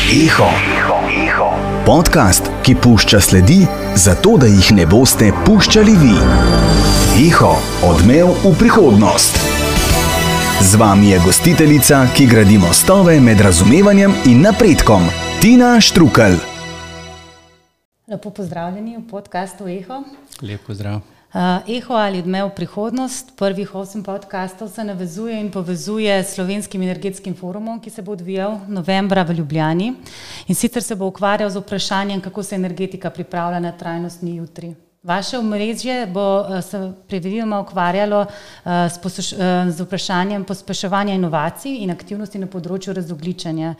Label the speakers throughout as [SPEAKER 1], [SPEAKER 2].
[SPEAKER 1] Eho. Podcast, ki pušča sledi, zato da jih ne boste puščali vi. Eho, odmev v prihodnost. Z vami je gostiteljica, ki gradi mostove med razumevanjem in napredkom, Tina Štrukelj.
[SPEAKER 2] Lepo pozdravljeni v podcastu Eho.
[SPEAKER 3] Lep pozdrav.
[SPEAKER 2] Eho ali odmev v prihodnost, prvih 8 podcastov se navezuje in povezuje s Slovenskim energetskim forumom, ki se bo odvijal novembra v Ljubljani. In sicer se bo ukvarjal z vprašanjem, kako se energetika pripravlja na trajnostni jutri. Vaše omrežje bo se predvidoma ukvarjalo z vprašanjem pospeševanja inovacij in aktivnosti na področju razogljičenja.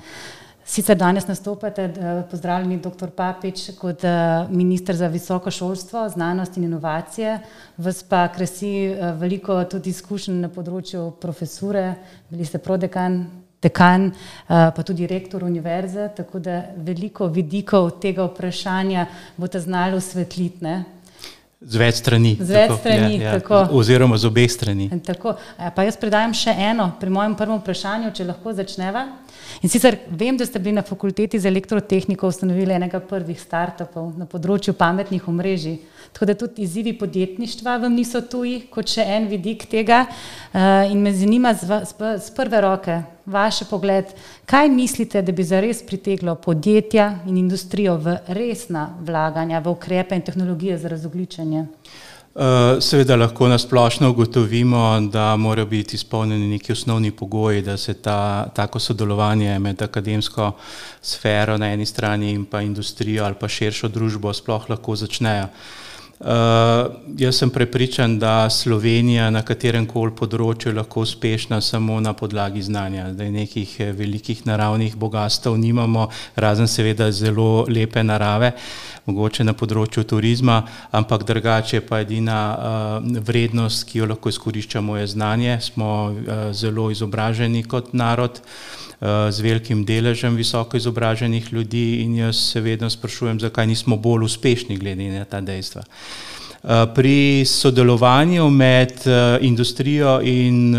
[SPEAKER 2] Sicer danes nastopate, pozdravljeni dr. Papič, kot minister za visoko šolstvo, znanost in inovacije. Vas pa krasi veliko tudi izkušenj na področju profesure, bili ste prodekan, dekan, pa tudi rektor univerze, tako da veliko vidikov tega vprašanja boste znali osvetliti, ne?
[SPEAKER 3] Z več strani.
[SPEAKER 2] Tako.
[SPEAKER 3] Oziroma z obeh strani.
[SPEAKER 2] Tako. Pa jaz predajam še eno pri mojem prvem vprašanju, če lahko začneva. In sicer vem, da ste bili na fakulteti za elektrotehniko ustanovili enega prvih startupov na področju pametnih omrežij. Tako da tudi izzivi podjetništva vam niso tuji, kot še en vidik tega. In me zanima z prve roke vaš pogled, kaj mislite, da bi zares priteglo podjetja in industrijo v resna vlaganja, v ukrepe in tehnologije za razogljičenje?
[SPEAKER 3] Seveda lahko nasplošno ugotovimo, da morajo biti izpolnjeni neki osnovni pogoji, da se tako sodelovanje med akademsko sfero na eni strani in pa industrijo ali pa širšo družbo sploh lahko začnejo. Jaz sem prepričan, da Slovenija na katerem koli področju lahko uspešna samo na podlagi znanja. Da nekih velikih naravnih bogastev nimamo, razen seveda zelo lepe narave, mogoče na področju turizma, ampak drugače pa edina vrednost, ki jo lahko izkoriščamo, je znanje. Smo zelo izobraženi kot narod, z velikim deležem visoko izobraženih ljudi in jaz se vedno sprašujem, zakaj nismo bolj uspešni glede na ta dejstva. Pri sodelovanju med industrijo in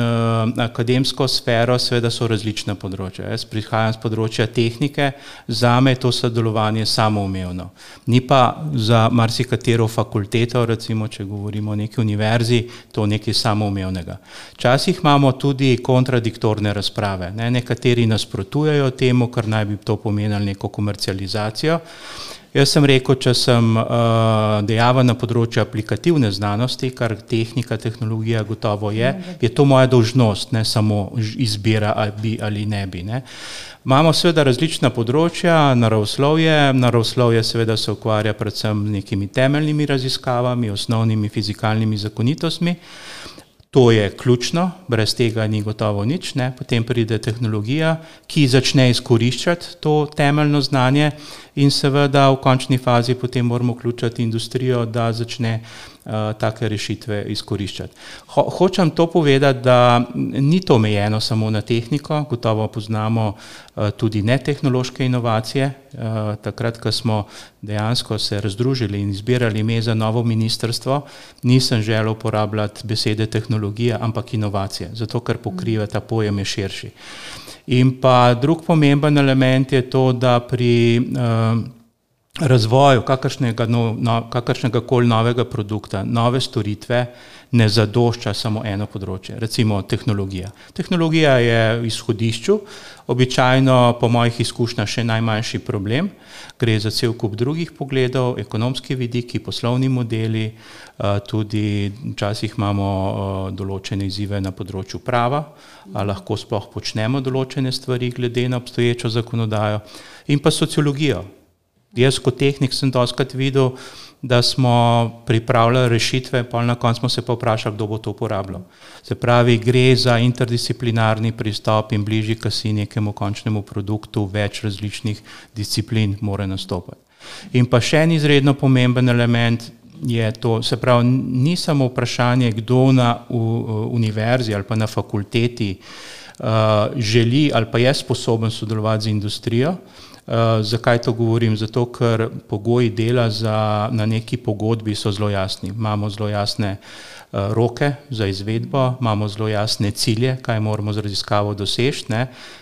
[SPEAKER 3] akademsko sfero seveda so različna področja. Jaz prihajam z področja tehnike, zame je to sodelovanje samoumevno. Ni pa za marsikatero fakulteto, recimo, če govorimo o neki univerzi, to nekaj samoumevnega. Včasih imamo tudi kontradiktorne razprave. Nekateri nasprotujejo temu, kar naj bi to pomenilo neko komercializacijo. Jaz sem rekel, če sem dejaven na področju aplikativne znanosti, kar tehnika, tehnologija gotovo je to moja dolžnost, ne samo izbira ali bi ali ne bi. Ne. Imamo seveda različna področja, naravoslovje seveda se ukvarja predvsem z nekimi temeljnimi raziskavami, osnovnimi fizikalnimi zakonitostmi. To je ključno, brez tega ni gotovo nič, ne. Potem pride tehnologija, ki začne izkoriščati to temeljno znanje in seveda v končni fazi potem moramo vključiti industrijo, da začne take rešitve izkoriščati. Hočem to povedati, da ni to omejeno samo na tehniko, gotovo poznamo tudi netehnološke inovacije. Takrat, ko smo dejansko se razdružili in izbirali ime za novo ministrstvo, nisem želel uporabljati besede tehnologija, ampak inovacije, zato ker pokriva ta pojem je širši. In pa drug pomemben element je to, da pri razvoju kakršnega koli novega produkta, nove storitve ne zadošča samo eno področje, recimo tehnologija. Tehnologija je v izhodišču, običajno po mojih izkušnjah še najmanjši problem, gre za cel kup drugih pogledov, ekonomski vidiki, poslovni modeli, tudi včasih imamo določene izzive na področju prava, ali lahko sploh počnemo določene stvari glede na obstoječo zakonodajo, in pa sociologijo. Jaz kot tehnik sem dostikrat videl, da smo pripravljali rešitve, pa na koncu smo se pa vprašali, kdo bo to uporabljal. Se pravi, gre za interdisciplinarni pristop in bližji kasi nekemu končnemu produktu, več različnih disciplin mora nastopati. In pa še en izredno pomemben element je to, se pravi, ni samo vprašanje, kdo na univerzi ali pa na fakulteti želi ali pa je sposoben sodelovati z industrijo. Zakaj to govorim? Zato, ker pogoji dela na neki pogodbi so zelo jasni. Imamo zelo jasne roke za izvedbo, imamo zelo jasne cilje, kaj moramo z raziskavo doseči.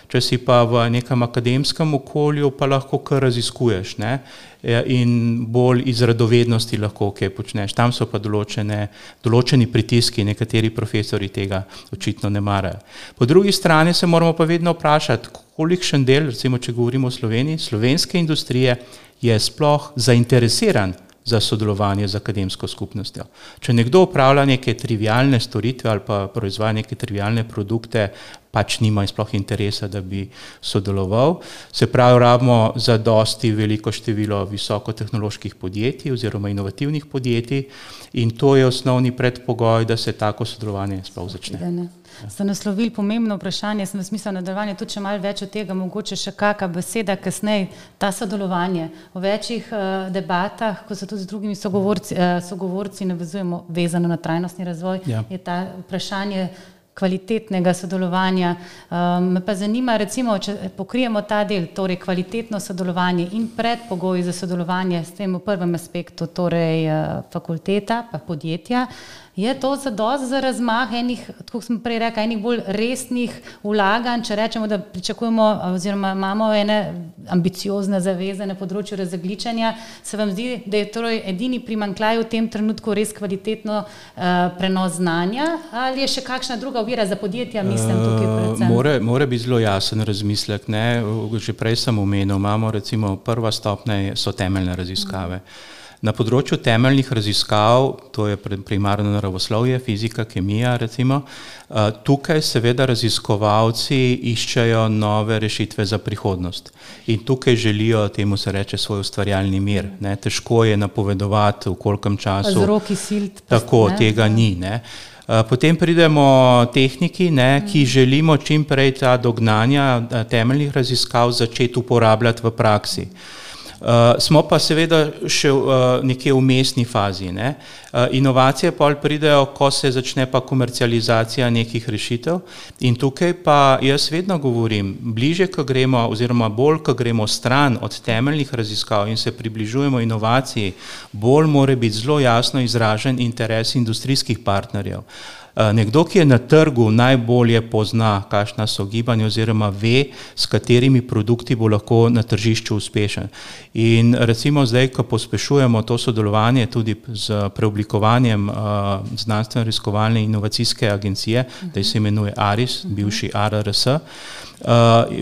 [SPEAKER 3] Če si pa v nekem akademskem okolju, pa lahko kar raziskuješ, ne? In bolj iz radovednosti lahko kaj počneš. Tam so pa določeni pritiski, nekateri profesori tega očitno ne marajo. Po drugi strani se moramo pa vedno vprašati, kolikšen del, recimo če govorimo o Sloveniji, slovenske industrije je sploh zainteresiran za sodelovanje z akademsko skupnostjo. Če nekdo upravlja neke trivialne storitve ali pa proizvaja neke trivialne produkte, pač nima sploh interesa, da bi sodeloval. Se pravi, rabimo za dosti veliko število visokotehnoloških podjetij oziroma inovativnih podjetij in to je osnovni predpogoj, da se tako sodelovanje sploh začne.
[SPEAKER 2] Ste naslovili pomembno vprašanje, sem v smislu nadaljevanja, tudi če malo več od tega, mogoče še kakšna beseda kasneje, ta sodelovanje. V večjih debatah, ko se tudi z drugimi sogovorci navezujemo vezano na trajnostni razvoj, je ta vprašanje kvalitetnega sodelovanja. Me pa zanima, recimo, če pokrijemo ta del, torej kvalitetno sodelovanje in predpogoji za sodelovanje s tem v prvem aspektu, torej fakulteta pa podjetja, je to zadost za razmah enih, tako sem prej rekla, enih bolj resnih vlaganj, če rečemo, da pričakujemo oziroma imamo ene ambiciozne zaveze na področju razogljičenja, se vam zdi, da je torej edini primanjkljaj v tem trenutku res kvalitetno prenos znanja ali je še kakšna druga ovira za podjetja, mislim tukaj predvsem?
[SPEAKER 3] Mora biti zelo jasen razmislek, ne? Že prej sem omenil, imamo recimo prva stopnja so temeljne raziskave. Na področju temeljnih raziskav, to je primarno naravoslovje, fizika, kemija recimo, tukaj seveda raziskovalci iščejo nove rešitve za prihodnost in tukaj želijo, temu se reče, svoj ustvarjalni mir. Ne? Težko je napovedovati, v kolikem času.
[SPEAKER 2] Z roki silt.
[SPEAKER 3] Tako, tega ni. Ne? Potem pridemo tehniki, ne, ki želimo čim prej ta dognanja temeljnih raziskav začeti uporabljati v praksi. Smo pa seveda še nekje v vmesni fazi. Ne. Inovacije pa pridejo, ko se začne pa komercializacija nekih rešitev in tukaj pa jaz vedno govorim, bliže, ko gremo oziroma bolj, ko gremo stran od temeljnih raziskav in se približujemo inovaciji, bolj mora biti zelo jasno izražen interes industrijskih partnerjev. Nekdo, ki je na trgu, najbolje pozna, kakšna so gibanja oziroma ve, s katerimi produkti bo lahko na tržišču uspešen. In recimo zdaj, ko pospešujemo to sodelovanje tudi z preoblikovanjem znanstveno-raziskovalne inovacijske agencije, da se imenuje ARIS, bivši ARRS,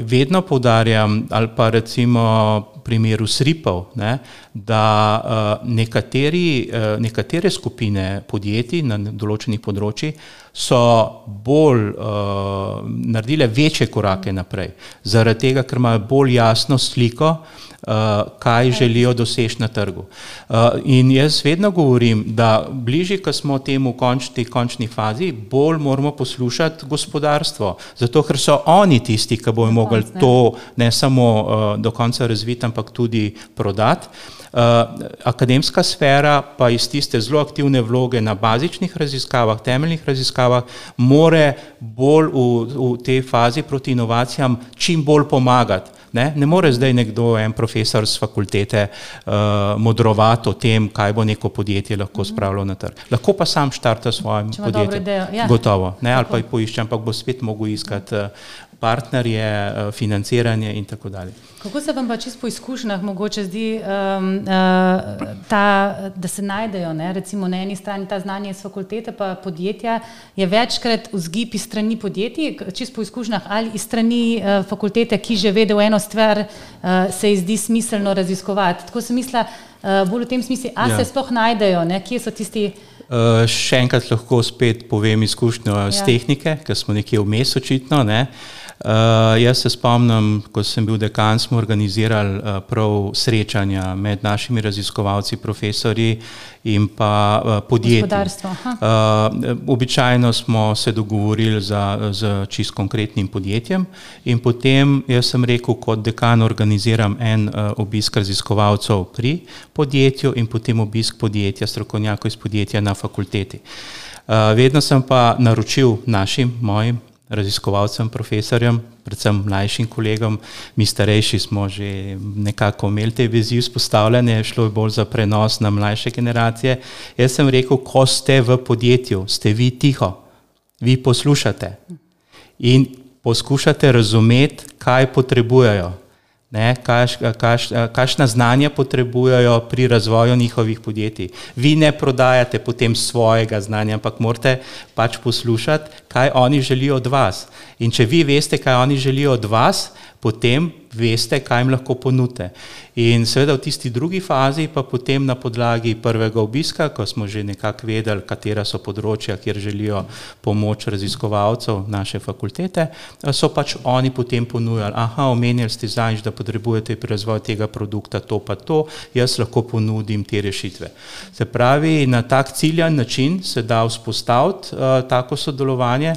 [SPEAKER 3] vedno poudarjam, ali pa recimo primeru SRIP-ov, ne, da nekatere skupine podjetij na določenih področjih so bolj naredile večje korake naprej, zaradi tega, ker imajo bolj jasno sliko, kaj želijo doseči na trgu. In jaz vedno govorim, da bližje, ko smo temu končni fazi, bolj moramo poslušati gospodarstvo, zato ker so oni tisti, ki bojo mogli to ne samo do konca razviti, ampak tudi prodati. Akademska sfera pa iz tiste zelo aktivne vloge na bazičnih raziskavah, temeljnih raziskavah, more bolj v tej fazi proti inovacijam čim bolj pomagati. Ne more zdaj nekdo, en profesor z fakultete, modrovati o tem, kaj bo neko podjetje lahko spravilo na trg. Lahko pa sam štarta s svojim podjetjem. Gotovo. Ne, ali pa jih poišče, ampak bo spet mogel iskati partnerje, financiranje in tako dalje.
[SPEAKER 2] Kako se vam pa čisto po izkušnjah mogoče zdi, da se najdejo, ne? Recimo na eni strani ta znanje iz fakultete pa podjetja, je večkrat vzgib iz strani podjetij, čisto po izkušnjah, ali iz strani fakultete, ki že vede v eno stvar, se ji zdi smiselno raziskovati. Tako sem mislila, bolj v tem smislu, se sploh najdejo, ne? Kje so tisti...
[SPEAKER 3] Še enkrat lahko spet povem izkušnjo z tehnike, ker smo nekje vmes očitno, ne. Jaz se spomnim, ko sem bil dekan, smo organizirali prav srečanja med našimi raziskovalci, profesorji in pa podjetji. Običajno smo se dogovorili z čisto konkretnim podjetjem in potem jaz sem rekel, kot dekan organiziram en obisk raziskovalcev pri podjetju in potem obisk podjetja, strokovnjakov iz podjetja na fakulteti. Vedno sem pa naročil mojim raziskovalcem, profesorjem, predvsem mlajšim kolegom, mi starejši smo že nekako imeli te vezi vzpostavljene, šlo je bolj za prenos na mlajše generacije. Jaz sem rekel, ko ste v podjetju, ste vi tiho, vi poslušate. In poskušate razumeti, kaj potrebujejo. Kakšna znanja potrebujejo pri razvoju njihovih podjetij. Vi ne prodajate potem svojega znanja, ampak morate pač poslušati, kaj oni želijo od vas. In če vi veste, kaj oni želijo od vas, potem veste, kaj jim lahko ponudite. In seveda v tisti drugi fazi pa potem na podlagi prvega obiska, ko smo že nekako vedeli, katera so področja, kjer želijo pomoč raziskovalcev naše fakultete, so pač oni potem ponujali, omenjali ste zadnjič, da potrebujete pri razvoju tega produkta to pa to, jaz lahko ponudim te rešitve. Se pravi, na tak ciljan način se da vzpostaviti tako sodelovanje.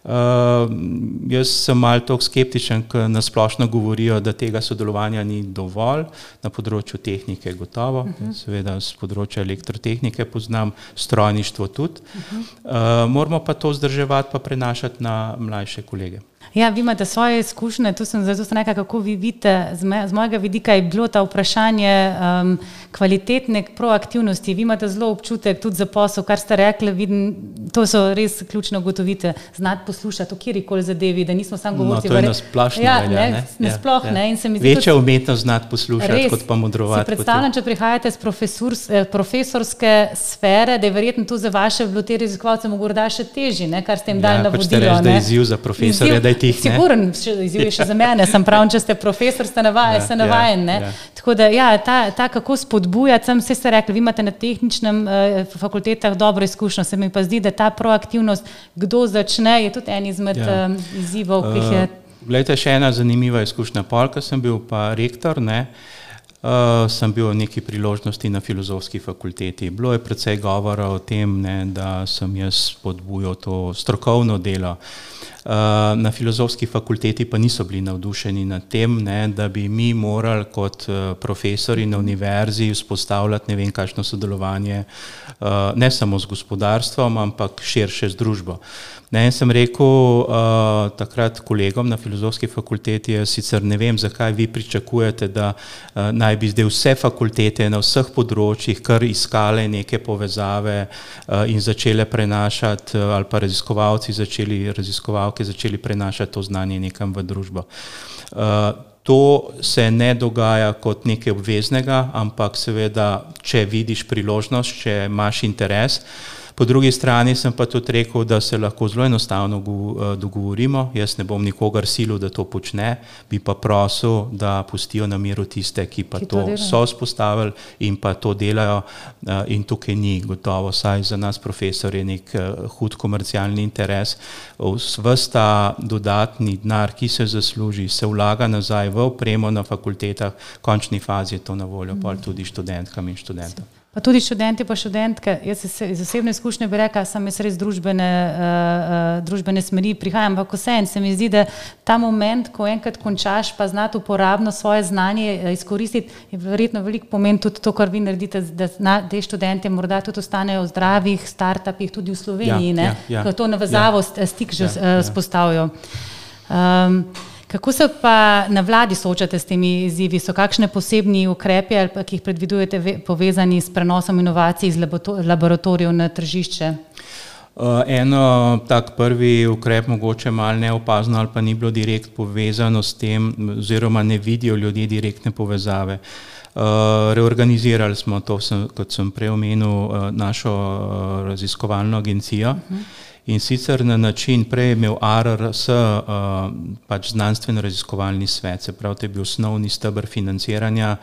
[SPEAKER 3] Jaz sem malo toliko skeptičen, ker nasplošno govorijo, da tega sodelovanja ni dovolj, na področju tehnike gotovo, seveda z področja elektrotehnike poznam, strojništvo tudi. Moramo pa to vzdrževati pa prenašati na mlajše kolege.
[SPEAKER 2] Ja, vi imate svoje izkušnje, zato sem nekaj, kako vi vidite, z mojega vidika je bilo ta vprašanje kvalitetne proaktivnosti. Vi imate zelo občutek tudi za posel, kar ste rekli, vidim, to so res ključne ugotovitve, znati poslušati o kjerikoli zadevi, da nismo samo govorci.
[SPEAKER 3] To je nasplošno velja, ne?
[SPEAKER 2] Nasploh, ne? In se mi zdi
[SPEAKER 3] večja umetnost znati poslušati, res, kot pa modrovati.
[SPEAKER 2] Si predstavljam, če prihajate z profesorske sfere, da je verjetno to za vaše te raziskovalce morda še težje, kar ste jim dali navodilo.
[SPEAKER 3] Hočete reči, da je izziv za profesorje, da je tih, ne?
[SPEAKER 2] Siguren, izziv je še za mene, sem pravim, če ste profesor, ste navajen, ne? Tako da, ta kako spodbujati, sem vse ste rekli, vi imate na tehničnem fakultetah dobro izkušnjo, se mi pa zdi, da ta proaktivnost, kdo začne, je tudi en izmed izzivov, ki jih je.
[SPEAKER 3] Glejte, še ena zanimiva izkušnja. Ko sem bil pa rektor, sem bil v neki priložnosti na filozofski fakulteti. Bilo je precej govora o tem, da sem jaz spodbujal to strokovno delo. Na filozofski fakulteti pa niso bili navdušeni nad tem, da bi mi morali kot profesori na univerzi vzpostavljati ne vem kakšno sodelovanje ne samo z gospodarstvom, ampak širše z družbo. In sem rekel takrat kolegom na filozofski fakulteti, sicer ne vem, zakaj vi pričakujete, da naj bi zdaj vse fakultete na vseh področjih kar iskale neke povezave in začele prenašati, ali pa raziskovalke začeli prenašati to znanje nekam v družbo. To se ne dogaja kot nekaj obveznega, ampak seveda, če vidiš priložnost, če imaš interes. Po drugi strani sem pa tudi rekel, da se lahko zelo enostavno dogovorimo. Jaz ne bom nikogar silil, da to počne, bi pa prosil, da pustijo na miru tiste, ki pa to so vzpostavili in pa to delajo, in tukaj ni gotovo, saj za nas profesor je nek hud komercialni interes. Ves ta dodatni denar, ki se zasluži, se vlaga nazaj v opremo na fakultetah, v končni fazi je to na voljo tudi študentkam in študentom.
[SPEAKER 2] Pa tudi študenti pa študentke, jaz iz osebne izkušnje bi rekla, sem jaz res družbene smeri prihajam, ampak vseeno se mi zdi, da ta moment, ko enkrat končaš, pa znati uporabno svoje znanje izkoristiti, je verjetno veliko pomen tudi to, kar vi naredite, da te študente morda tudi ostanejo v zdravih startupih tudi v Sloveniji, ko to navezavo stik že vzpostavijo. Kako se pa na vladi soočate s temi izzivi? So kakšne posebni ukrepi, ki jih predvidujete povezani s prenosom inovacij iz laboratorijev na tržišče?
[SPEAKER 3] Eno tak prvi ukrep, mogoče malo neopazno ali pa ni bilo direkt povezano s tem, oziroma ne vidijo ljudje direktne povezave. Reorganizirali smo to, kot sem prej omenil, našo raziskovalno agencijo. In sicer na način, prej je imel ARRS pač znanstveno-raziskovalni svet, se pravi, to je bil osnovni steber financiranja,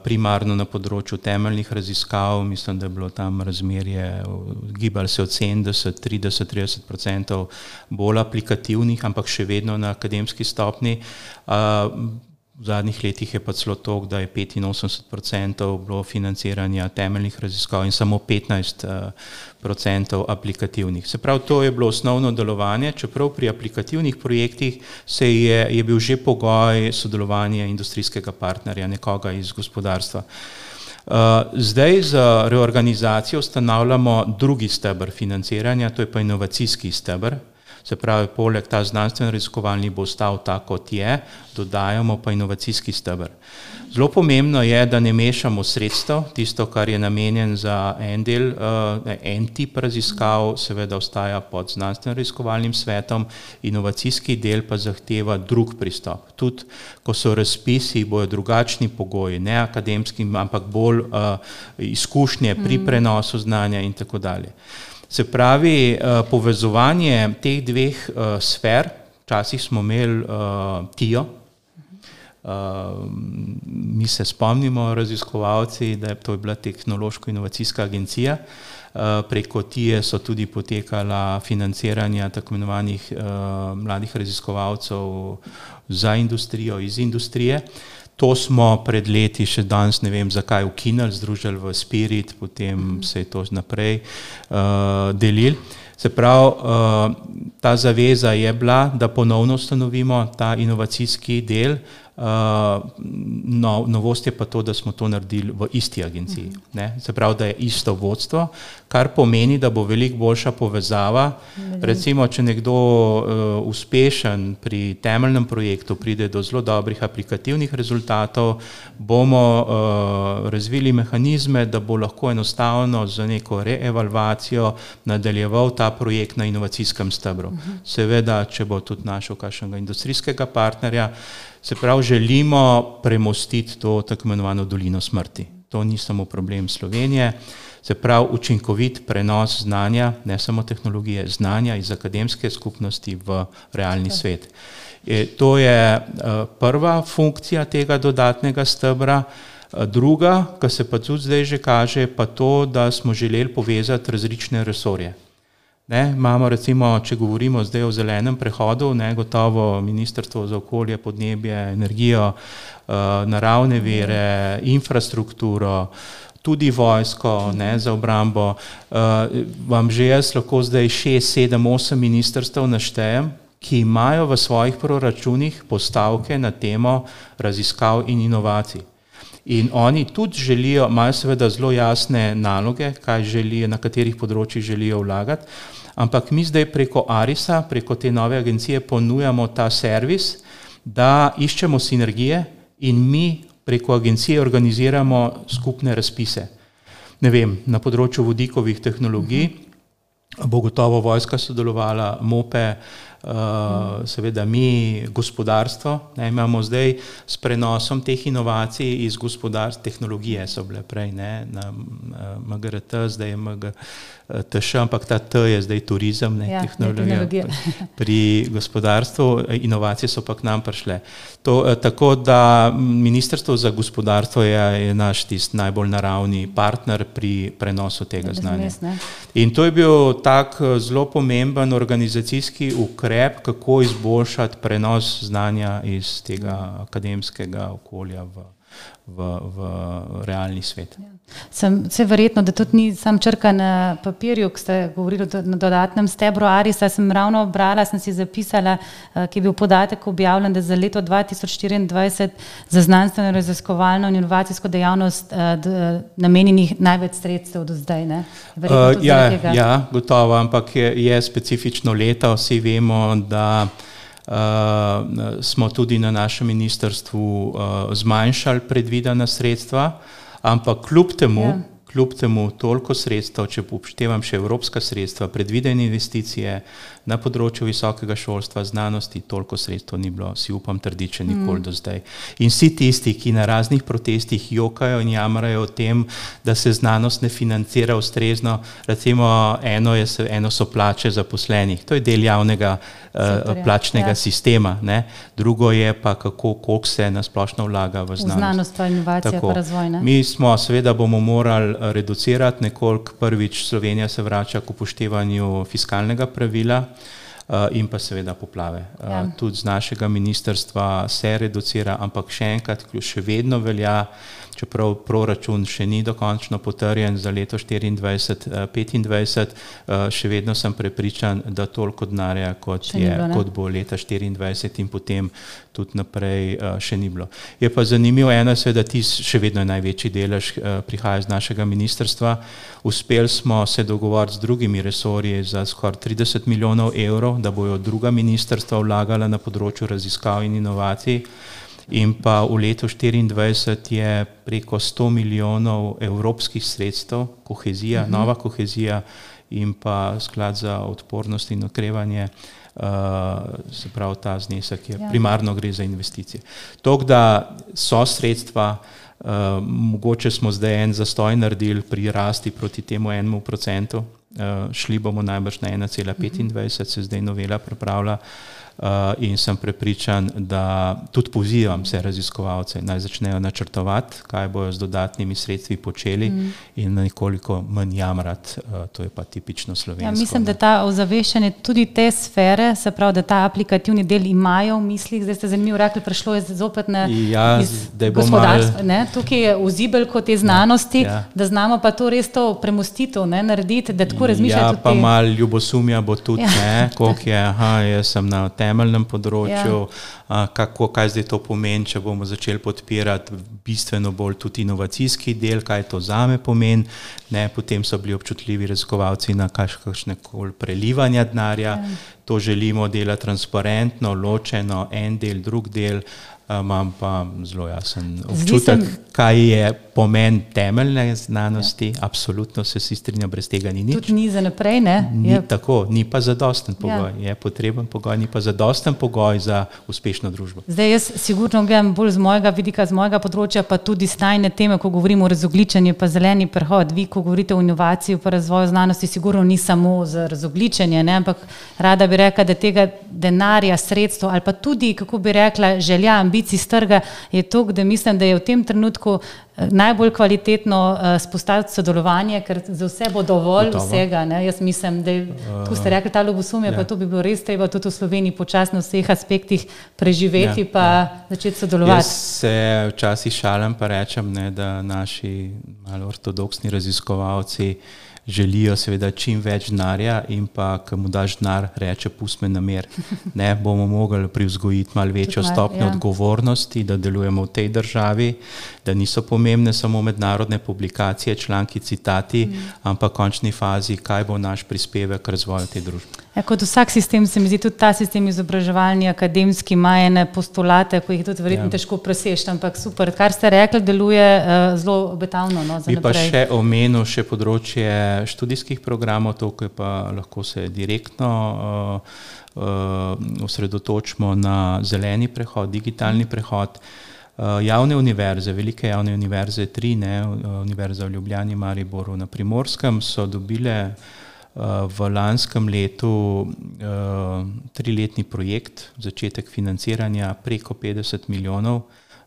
[SPEAKER 3] primarno na področju temeljnih raziskav, mislim, da je bilo tam razmerje, gibali se od 70, 30% bolj aplikativnih, ampak še vedno na akademski stopni. V zadnjih letih je pa celo to, da je 85% bilo financiranja temeljnih raziskav in samo 15% aplikativnih. Se pravi, to je bilo osnovno delovanje, čeprav pri aplikativnih projektih je bil že pogoj sodelovanja industrijskega partnerja, nekoga iz gospodarstva. Zdaj z reorganizacijo ustanavljamo drugi steber financiranja, to je pa inovacijski steber. Se pravi, poleg ta znanstveno-raziskovalni bo ostal tak, kot je, dodajamo pa inovacijski steber. Zelo pomembno je, da ne mešamo sredstev, tisto, kar je namenjen za en del, en tip raziskav, seveda ostaja pod znanstveno-raziskovalnim svetom, inovacijski del pa zahteva drug pristop. Tudi, ko so razpisi, bojo drugačni pogoji, ne akademski, ampak bolj izkušnje pri prenosu znanja in tako dalje. Se pravi, povezovanje teh dveh sfer, včasih smo imeli TIO, mi se spomnimo raziskovalci, da to je bila tehnološko-inovacijska agencija, preko TIE so tudi potekala financiranja tako imenovanih mladih raziskovalcev za industrijo, iz industrije. To smo pred leti, še danes ne vem zakaj, ukinili, združili v Spirit, potem se je to naprej delili. Se pravi, ta zaveza je bila, da ponovno ustanovimo ta inovacijski del. Novost je pa to, da smo to naredili v isti agenciji. Se pravi, da je isto vodstvo, kar pomeni, da bo veliko boljša povezava. Recimo, če nekdo uspešen pri temeljnem projektu pride do zelo dobrih aplikativnih rezultatov, bomo razvili mehanizme, da bo lahko enostavno za neko reevalvacijo nadaljeval ta projekt na inovacijskem stebru. Seveda, če bo tudi našel kakšnega industrijskega partnerja, se pravi, želimo premostiti to tako imenovano dolino smrti. To ni samo problem Slovenije, se pravi, učinkovit prenos znanja, ne samo tehnologije, znanja iz akademske skupnosti v realni svet. To je prva funkcija tega dodatnega stebra. Druga, kar se pa tudi zdaj že kaže, pa to, da smo želeli povezati različne resorje. Imamo recimo, če govorimo zdaj o zelenem prehodu, gotovo Ministrstvo za okolje, podnebje, energijo, naravne vire, infrastrukturo, tudi vojsko, za obrambo. Vam že jaz lahko zdaj 6, 7, 8 ministrstev naštejem, ki imajo v svojih proračunih postavke na temo raziskav in inovacij. In oni tudi želijo, imajo seveda zelo jasne naloge, kaj želijo, na katerih področjih želijo vlagati, ampak mi zdaj preko ARIS-a, preko te nove agencije ponujamo ta servis, da iščemo sinergije in mi preko agencije organiziramo skupne razpise. Ne vem, na področju vodikovih tehnologij bo gotovo vojska sodelovala, MOPE, seveda mi, gospodarstvo, imamo zdaj s prenosom teh inovacij iz gospodarstva, tehnologije so bile prej, na MGRT, zdaj je MGTŠ, ampak ta T je zdaj turizem, tehnologija pri gospodarstvu, inovacije so pa k nam prišle. Tako da Ministrstvo za gospodarstvo je naš tist najbolj naravni partner pri prenosu tega znanja. In to je bil tak zelo pomemben organizacijski ukrep, kako izboljšati prenos znanja iz tega akademskega okolja v realni svet.
[SPEAKER 2] Se verjetno, da tudi ni sam črka na papirju, ko ste govorili na dodatnem stebru ARIS-a, sem ravno brala, sem si zapisala, ki je bil podatek objavljen, da za leto 2024 za znanstveno raziskovalno in inovacijsko dejavnost namenjenih največ sredstev do zdaj.
[SPEAKER 3] Ja, gotovo, ampak je specifično leto, vsi vemo, da smo tudi na našem ministrstvu zmanjšali predvidena sredstva, ampak kljub temu toliko sredstev, če upoštevam še evropska sredstva, predvidene investicije na področju visokega šolstva, znanosti, toliko sredstev ni bilo, si upam trditi, še nikoli do zdaj. In vsi tisti, ki na raznih protestih jokajo in jamrajo o tem, da se znanost ne financira ustrezno, recimo eno so plače zaposlenih, to je del javnega plačnega sistema, drugo je pa koliko se nasplošno vlaga v znanost.
[SPEAKER 2] V znanost pa inovacija pa razvoj.
[SPEAKER 3] Mi smo, seveda bomo morali reducirati nekoliko, prvič Slovenija se vrača k upoštevanju fiskalnega pravila in pa seveda poplave. Tudi z našega ministrstva se reducira, ampak še enkrat, še vedno velja, čeprav proračun še ni dokončno potrjen za leto 2024-2025, še vedno sem prepričan, da toliko denarja, kot bo leta 2024 in potem tudi naprej še ni bilo. Je pa zanimivo eno, seveda še vedno je največji delež prihaja iz našega ministrstva. Uspeli smo se dogovoriti z drugimi resorji za skoraj 30 milijonov evrov, da bojo druga ministrstva vlagala na področju raziskav in inovacij. In pa v letu 2024 je preko 100 milijonov evropskih sredstev, kohezija, nova kohezija in pa sklad za odpornost in okrevanje, se pravi ta znesek je primarno gre za investicije. Tako da so sredstva, mogoče smo zdaj en zastoj naredili pri rasti proti temu 1%, šli bomo najbrž na 1,25, se zdaj novela pripravlja. In sem prepričan, da tudi pozivam vse raziskovalce, naj začnejo načrtovati, kaj bojo z dodatnimi sredstvi počeli in nekoliko manj jamrati, to je pa tipično slovensko.
[SPEAKER 2] Ja, mislim, da ta ozaveščanje tudi te sfere, se pravi, da ta aplikativni del imajo v mislih, zdaj ste zanimivo rekli, prišlo je zopet na gospodarstvo, tukaj je vzibelko te znanosti, da znamo pa to res to premostitev narediti, da tako razmišljate tudi.
[SPEAKER 3] Ja, pa malo ljubosumja bo tudi, koliko je, jaz sem na temeljnem področju, kaj zdaj to pomeni, če bomo začeli podpirati bistveno bolj tudi inovacijski del, kaj to zame pomeni, potem so bili občutljivi raziskovalci na kakšne koli prelivanja denarja, to želimo delati transparentno, ločeno, en del, drug del, imam pa zelo jasen občutek, kaj je pomen temeljne znanosti, absolutno se vsi strinjam, brez tega ni nič.
[SPEAKER 2] Tudi ni za naprej, ne?
[SPEAKER 3] Ni tako, ni pa zadosten pogoj, je potreben pogoj, ni pa zadosten pogoj za uspešno družbo.
[SPEAKER 2] Zdaj jaz sigurno gledam bolj z mojega vidika, z mojega področja, pa tudi stajne teme, ko govorimo o razogljičenju, pa zeleni prehod, vi, ko govorite o inovaciji, pa razvoju znanosti, sigurno ni samo za razogljičenje, ampak rada bi rekla, da tega denarja, sredstva ali pa tudi, kako bi rekla, želja, ambicij z trga je to, da mislim, da je v tem trenutku najbolj kvalitetno spostaviti sodelovanje, ker za vse bo dovolj vsega. Jaz mislim, da tu ste rekli ta ljubosumje, pa to bi bilo res treba tudi v Sloveniji počasi na vseh aspektih preživeti pa začeti sodelovati.
[SPEAKER 3] Jaz se včasih šalim pa rečem, da naši malo ortodoksni raziskovalci želijo seveda čim več denarja in pa, ko mu daš denar, reče, pusti me na mir. Bomo mogli privzgojiti malo večjo stopnjo odgovornosti, da delujemo v tej državi, da niso pomembne samo mednarodne publikacije, članki, citati, ampak v končni fazi, kaj bo naš prispevek k razvoju te družbe.
[SPEAKER 2] Kot vsak sistem, se mi zdi, tudi ta sistem izobraževanja, akademski, ima ene postulate, ko jih tudi verjetno težko preseči, ampak super, kar ste rekli, deluje zelo obetavno za naprej.
[SPEAKER 3] Bi pa še omenil še področje študijskih programov, to, ki pa lahko se direktno osredotočimo na zeleni prehod, digitalni prehod. Javne univerze, velike javne univerze, 3, Univerza v Ljubljani, Mariboru, na Primorskem, so dobile v lanskem letu 3-letni projekt, začetek financiranja preko 50 milijonov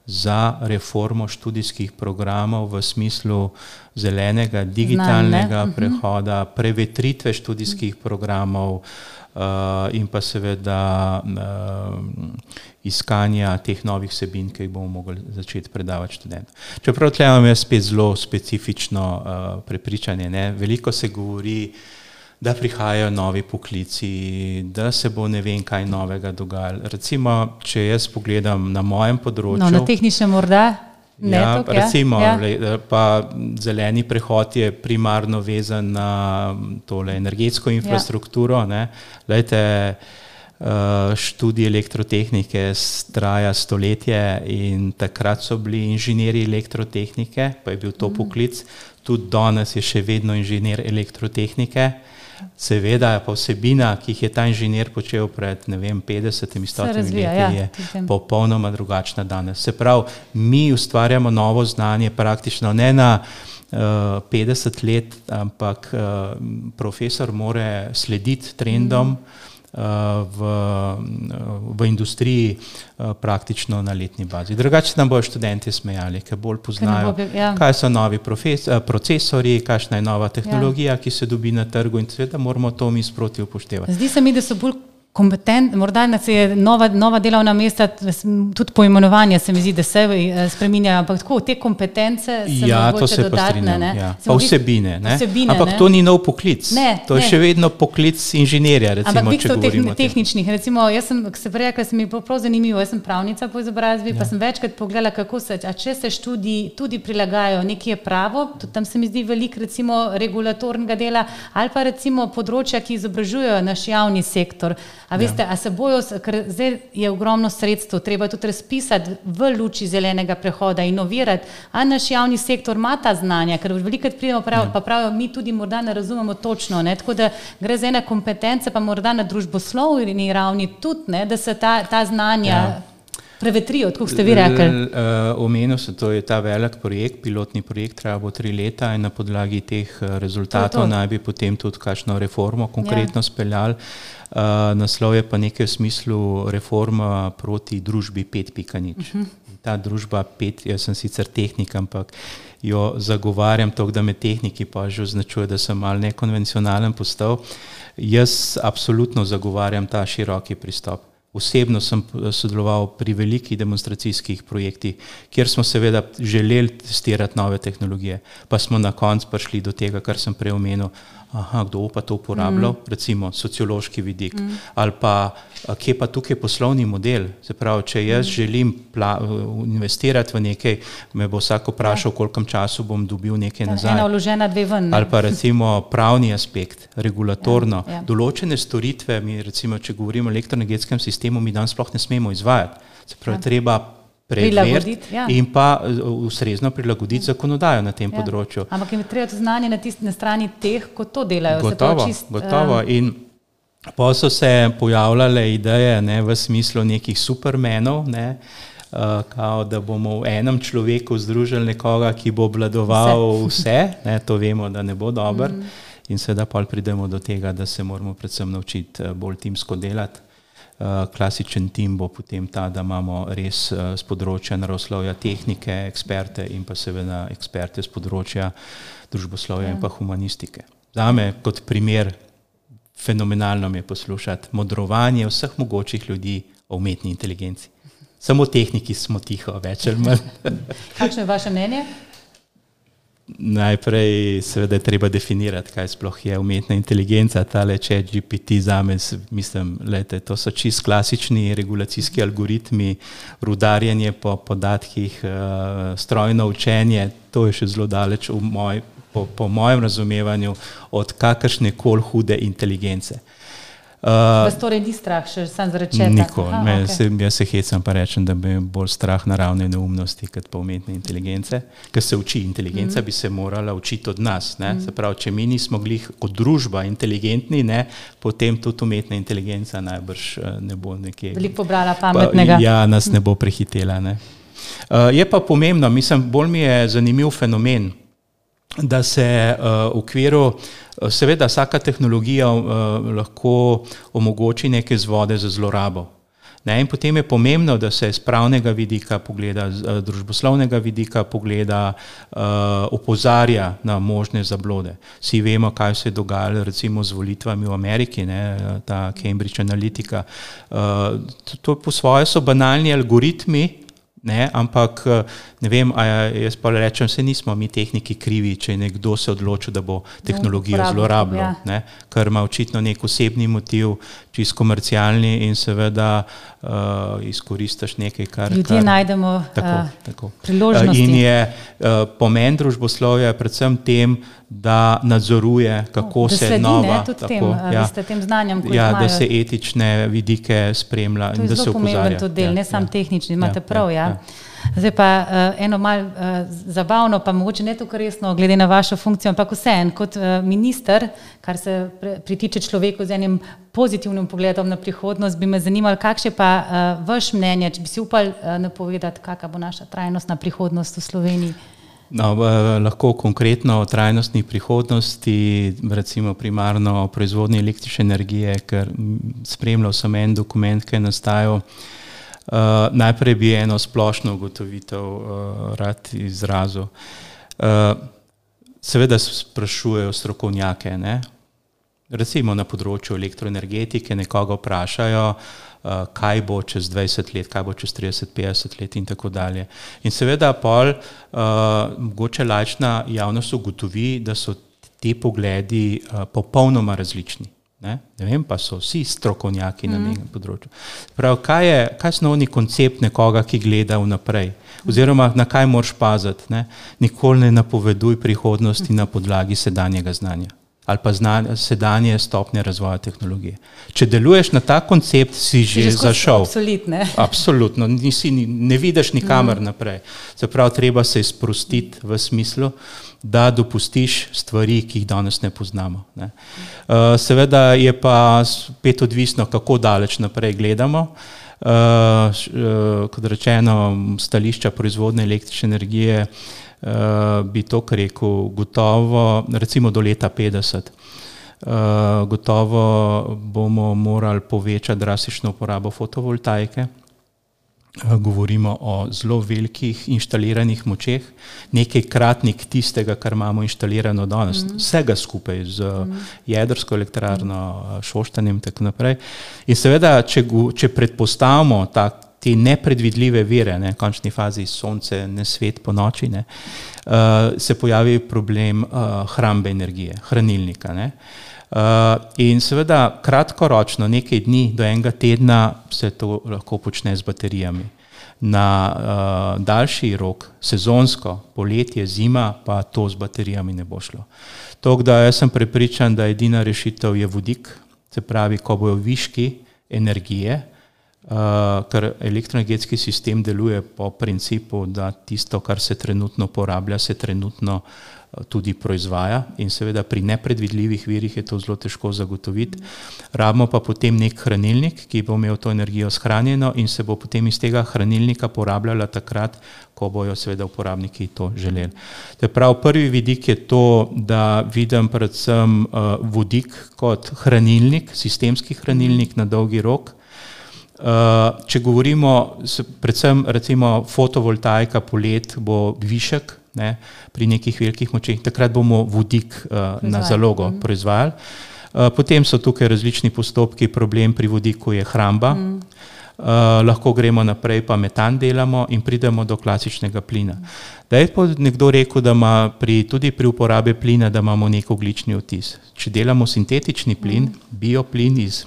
[SPEAKER 3] za reformo študijskih programov v smislu zelenega, digitalnega prehoda, prevetritve študijskih programov in pa seveda iskanja teh novih vsebin, ki jih bomo mogli začeti predavati študentom. Čeprav tukaj imam jaz spet zelo specifično prepričanje, veliko se govori, da prihajajo novi poklici, da se bo ne vem kaj novega dogajalo. Recimo, če jaz pogledam na mojem področju.
[SPEAKER 2] Na tehničnem morda?
[SPEAKER 3] Recimo, pa zeleni prehod je primarno vezan na tole energetsko infrastrukturo. Glejte, študij elektrotehnike traja stoletje in takrat so bili inženirji elektrotehnike, pa je bil to poklic. Tudi danes je še vedno inženir elektrotehnike. Seveda pa vsebina, ki jih je ta inženir počel pred 50-100 leti, je popolnoma drugačna danes. Se pravi, mi ustvarjamo novo znanje praktično ne na 50 let, ampak profesor more slediti trendom v industriji praktično na letni bazi. Drugače nam bojo študenti smejali, ker bolj poznajo, kaj so novi procesori, kakšna je nova tehnologija, ki se dobi na trgu in seveda moramo to mi sproti upoštevati.
[SPEAKER 2] Zdi se mi, da so bolj Morda se je nova delovna mesta, tudi poimenovanje se mi zdi, da se spreminjajo, ampak tako, te kompetence se mogoče dodatne.
[SPEAKER 3] Pa vsebine, ampak to ni nov poklic, to je še vedno poklic inženirja, recimo,
[SPEAKER 2] ampak
[SPEAKER 3] če govorimo.
[SPEAKER 2] Ampak tehničnih, recimo, jaz sem se prej rekla, se mi je prav zanimivo, jaz sem pravnica po izobrazbi, pa sem večkrat pogledala, kako če se študiji tudi prilagajajo, nekje je pravo, tudi tam se mi zdi veliko, recimo, regulatornega dela, ali pa recimo področja, ki izobražujejo naš javni sektor. A veste, a se bojo, ker zdaj je ogromno sredstev, treba tudi razpisati v luči zelenega prehoda, inovirati, a naš javni sektor ima ta znanja, ker velikokrat pridemo pa pravijo, mi tudi morda ne razumemo točno, tako da gre za ene kompetence, pa morda na družboslovni ravni tudi, da se ta znanja prevetrijo, tako ste vi rekli.
[SPEAKER 3] Omenil se, to je ta velik projekt, pilotni projekt, treba bo 3 leta in na podlagi teh rezultatov naj bi potem tudi kakšno reformo konkretno speljali. Naslov je pa nekaj v smislu reforma proti družbi 5.0. Ta družba 5, jaz sem sicer tehnik, ampak jo zagovarjam toliko, da me tehniki pa že označuje, da sem malo nekonvencionalen postal. Jaz absolutno zagovarjam ta široki pristop. Osebno sem sodeloval pri velikih demonstracijskih projektih, kjer smo seveda želeli testirati nove tehnologije, pa smo na koncu prišli do tega, kar sem prej omenil, kdo pa to uporabljal, recimo sociološki vidik, ali pa kje pa tukaj poslovni model, se pravi, če jaz želim investirati v nekaj, me bo vsak vprašal, koliko času bom dobil nekaj nazaj.
[SPEAKER 2] Ena vložena, 2 ven.
[SPEAKER 3] Ali pa recimo pravni aspekt, regulatorno, določene storitve, mi recimo, če govorimo o elektroenergetskem sistemu, mi danes sploh ne smemo izvajati, se pravi, treba preveriti in pa ustrezno prilagoditi zakonodajo na tem področju.
[SPEAKER 2] Ampak jim je treba to znanje na strani teh, ko to delajo.
[SPEAKER 3] Gotovo. In pa so se pojavljale ideje v smislu nekih supermenov, kao, da bomo v enem človeku združili nekoga, ki bo obvladoval vse, to vemo, da ne bo dobro. In seveda pa pridemo do tega, da se moramo predvsem naučiti bolj timsko delati. Klasičen tim bo potem ta, da imamo res z področja naravoslovja tehnike, eksperte in pa seveda eksperte z področja družboslovja in pa humanistike. Zame kot primer fenomenalno mi je poslušati modrovanje vseh mogočih ljudi o umetni inteligenci. Samo tehniki smo tiho, več ali manj.
[SPEAKER 2] Kakšno je vaše mnenje?
[SPEAKER 3] Najprej seveda je treba definirati, kaj sploh je umetna inteligenca, tale ChatGPT zame, mislim, to so čisto klasični regulacijski algoritmi, rudarjenje po podatkih, strojno učenje, to je še zelo daleč po mojem razumevanju od kakršne koli hude inteligence.
[SPEAKER 2] Vas torej ni strah še sam zaradi četa?
[SPEAKER 3] Nikoli. Jaz se hecam pa rečem, da bi bolj strah naravne neumnosti kot pa umetne inteligence, ker se uči inteligenca, bi se morala učiti od nas. Se pravi, če mi nismo glih kot družba inteligentni, potem tudi umetna inteligenca najbrž ne bo nekje.
[SPEAKER 2] Veliko pobrala pametnega.
[SPEAKER 3] Ja, nas ne bo prehitela. Je pa pomembno, mislim, bolj mi je zanimiv fenomen, da se v okviru, seveda vsaka tehnologija lahko omogoči neke vzvode za zlorabo. In potem je pomembno, da se z pravnega vidika pogleda, z družboslovnega vidika pogleda, opozarja na možne zablode. Vsi vemo, kaj se je dogajalo recimo z volitvami v Ameriki, ta Cambridge Analytica. To po svoje so banalni algoritmi, ampak ne vem, jaz pa rečem, se nismo mi tehniki krivi, če nekdo se odločil, da bo tehnologijo zlorabljal, ker ima očitno nek osebni motiv, čisto komercialni in seveda izkoristiš nekaj, kar...
[SPEAKER 2] Ljudje najdemo priložnosti.
[SPEAKER 3] In je pomen družboslovja predvsem tem, da nadzoruje, kako se nova...
[SPEAKER 2] Da sledi tem znanjem, ko imajo.
[SPEAKER 3] Da se etične vidike spremlja in da se opozarja.
[SPEAKER 2] To je zelo pomemben to del, ne sam tehnični, imate prav, Zdaj pa eno malo zabavno, pa mogoče ne tako resno, glede na vašo funkcijo, ampak vseeno, kot minister, kar se pritiče človeku z enim pozitivnim pogledom na prihodnost, bi me zanimalo, kakšno je pa vaš mnenje, če bi si upali napovedati, kakšna bo naša trajnostna prihodnost v Sloveniji?
[SPEAKER 3] Lahko konkretno o trajnostni prihodnosti, recimo primarno o proizvodnji električne energije, ker spremljal sem en dokument, ki je nastajal. Najprej bi eno splošno ugotovitev rad izrazil. Seveda sprašujejo strokovnjake, recimo na področju elektroenergetike nekoga vprašajo, kaj bo čez 20 let, kaj bo čez 30-50 let in tako dalje. In seveda pol mogoče laična javnost ugotovi, da so ti pogledi popolnoma različni. Ne vem, pa so vsi strokovnjaki na nekem področju. Prav, kaj je osnovni koncept nekoga, ki gleda vnaprej? Oziroma, na kaj moraš paziti? Ne? Nikoli ne napoveduj prihodnosti na podlagi sedanjega znanja ali pa sedanje stopnje razvoja tehnologije. Če deluješ na ta koncept, si že zašel. Absolutno, ne vidiš nikamer naprej. Se pravi, treba se sprostiti v smislu, da dopustiš stvari, ki jih danes ne poznamo. Ne. Seveda je pa spet odvisno, kako daleč naprej gledamo. Kot rečeno, stališča proizvodnje električne energije bi to rekel, gotovo, recimo do leta 50, gotovo bomo morali povečati drastično uporabo fotovoltaike. Govorimo o zelo velikih inštaliranih močeh, nekajkratnik tistega, kar imamo inštalirano danes, vsega skupaj z jedrsko elektrarno, Šoštanjem in tako naprej. In seveda, če predpostavimo te nepredvidljive vire, v končni fazi sonce, ne svet po noči, se pojavi problem hrambe energije, hranilnika. In seveda kratkoročno, nekaj dni do enega tedna se to lahko počne z baterijami. Na daljši rok, sezonsko, poletje, zima, pa to z baterijami ne bo šlo. Tako da jaz sem prepričan, da edina rešitev je vodik, se pravi, ko bojo viški energije, ker elektroenergetski sistem deluje po principu, da tisto, kar se trenutno porablja, se trenutno tudi proizvaja in seveda pri nepredvidljivih virih je to zelo težko zagotoviti. Rabimo pa potem nek hranilnik, ki bo imel to energijo shranjeno in se bo potem iz tega hranilnika porabljala takrat, ko bojo seveda uporabniki to želeli. Prav prvi vidik je to, da vidim predvsem vodik kot hranilnik, sistemski hranilnik na dolgi rok. Če govorimo, predvsem recimo fotovoltaika polet bo višek, pri nekih velikih močeh, takrat bomo vodik na zalogo proizvajali. Potem so tukaj različni postopki, problem pri vodiku je hramba, lahko gremo naprej, pa metan delamo in pridemo do klasičnega plina. Da je nekdo rekel, da ima tudi pri uporabi plina, da imamo nek ogljični odtis. Če delamo sintetični plin, bioplin iz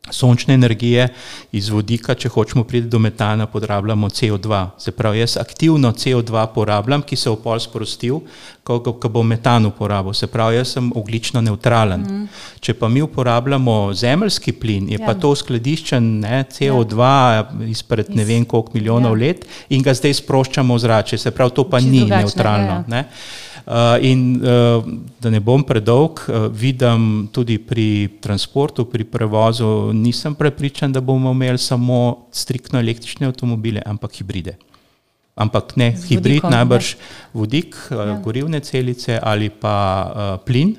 [SPEAKER 3] sončne energije, iz vodika, če hočemo priti do metana, porabljamo CO2. Se pravi, jaz aktivno CO2 porabljam, ki se bo pol sprostil, ko bo metan uporabil. Se pravi, jaz sem ogljično nevtralen. Če pa mi uporabljamo zemeljski plin, je pa to skladiščen CO2 izpred ne vem koliko milijonov let in ga zdaj sproščamo v zrače. Se pravi, to pa ni neutralno. In da ne bom predolg, vidim tudi pri transportu, pri prevozu, nisem prepričan, da bomo imeli samo striktno električne avtomobile, ampak hibride. Ampak ne hibrid, najbrž vodik, gorivne celice ali pa plin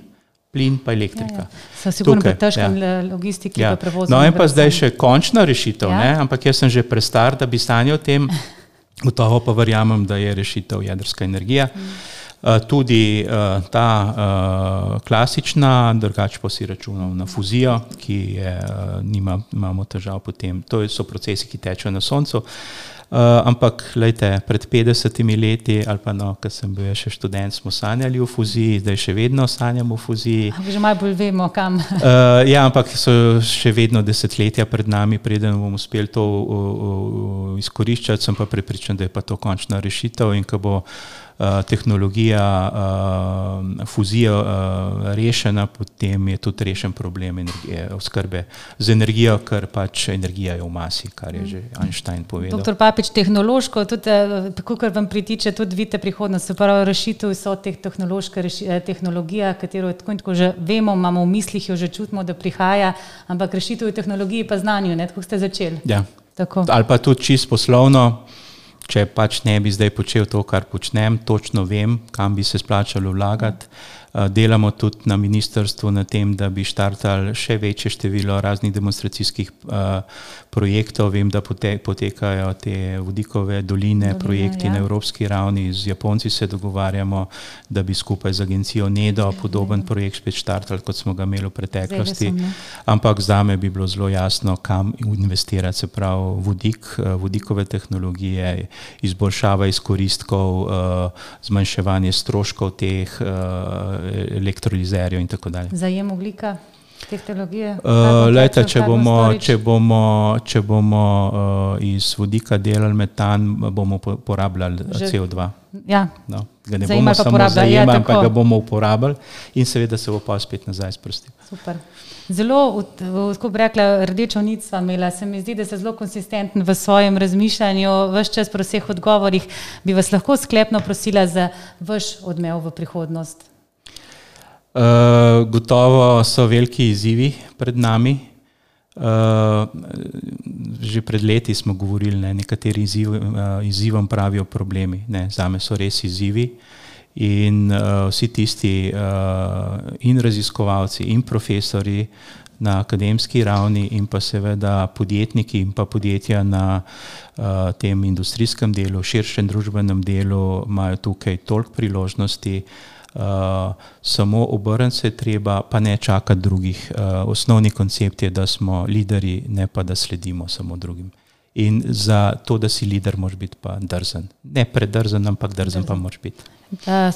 [SPEAKER 3] pa elektrika.
[SPEAKER 2] So sigurno pri težkem logistiki pa prevozu.
[SPEAKER 3] No in pa zdaj še končna rešitev, ampak jaz sem že prestar, da bi sanjal o tem, gotovo pa verjamem, da je rešitev jedrska energija. Tudi ta klasična, drugače pa si računal na fuzijo, ki imamo težav potem. To so procesi, ki tečejo na soncu. Ampak, glejte, pred 50 leti, ali pa ko sem bil še študent, smo sanjali o fuziji, zdaj še vedno sanjamo o fuziji.
[SPEAKER 2] Že malo bolj vemo, kam.
[SPEAKER 3] Ja, ampak so še vedno desetletja pred nami, preden bomo uspeli to izkoriščati, sem pa prepričan, da je pa to končna rešitev in ko bo tehnologija fuzija rešena, potem je tudi rešen problem oskrbe z energijo, ker pač energija je v masi, kar je že Einstein povedal.
[SPEAKER 2] Doktor Papič, tehnološko, tudi tako, kar vam pritiče, tudi vidite prihodnost, se pravi rešitev so tehnologija, katero tako in tako že vemo, imamo v mislih, jo že čutimo, da prihaja, ampak rešitev v tehnologiji pa znanju, tako ste začeli.
[SPEAKER 3] Ja, ali pa tudi čisto poslovno. Če pač ne bi zdaj počel to, kar počnem, točno vem, kam bi se splačalo vlagati. Delamo tudi na ministrstvu na tem, da bi štartali še večje število raznih demonstracijskih projektov. Vem, da potekajo te vodikove doline, projekti na evropski ravni. Z Japonci se dogovarjamo, da bi skupaj z agencijo NEDO podoben projekt spet štartali, kot smo ga imeli v preteklosti. Ampak zame bi bilo zelo jasno, kam investirati, se pravi vodik, vodikove tehnologije, izboljšava izkoristkov, zmanjševanje stroškov teh elektrolizerjev in tako dalje.
[SPEAKER 2] Zajem ogljika, tehnologije?
[SPEAKER 3] Lejte, če bomo iz vodika delali metan, bomo porabljali CO2.
[SPEAKER 2] Ja.
[SPEAKER 3] No, ga ne bomo samo zajemali, ampak ga bomo uporabljali in seveda se bo pa spet nazaj sprostil.
[SPEAKER 2] Super. Zelo, tako bi rekla, rdečo nit sva imela. Se mi zdi, da ste zelo konsistenten v svojem razmišljanju. Ves čas pri vseh odgovorih bi vas lahko sklepno prosila za vaš odmev v prihodnost.
[SPEAKER 3] Gotovo so veliki izzivi pred nami. Že pred leti smo govorili, nekateri izzivom pravijo problemi. Zame so res izzivi. In vsi tisti in raziskovalci in profesori na akademski ravni in pa seveda podjetniki in pa podjetja na tem industrijskem delu, širšem družbenem delu imajo tukaj toliko priložnosti, samo obrniti se treba, pa ne čakati drugih. Osnovni koncept je, da smo lideri, ne pa da sledimo samo drugim. In za to, da si lider, moraš biti pa drzen. Ne predrzen, ampak drzen pa moraš biti.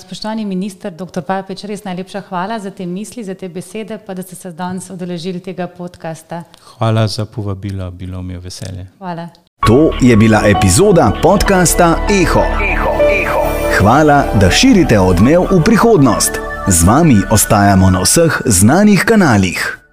[SPEAKER 2] Spoštovani minister, dr. Papič, res najlepša hvala za te misli, za te besede, pa da ste se danes udeležili tega podcasta.
[SPEAKER 3] Hvala za povabilo, bilo mi je veselje.
[SPEAKER 2] Hvala.
[SPEAKER 1] To je bila epizoda podcasta Eho. Hvala, da širite odmev v prihodnost. Z vami ostajamo na vseh znanih kanalih.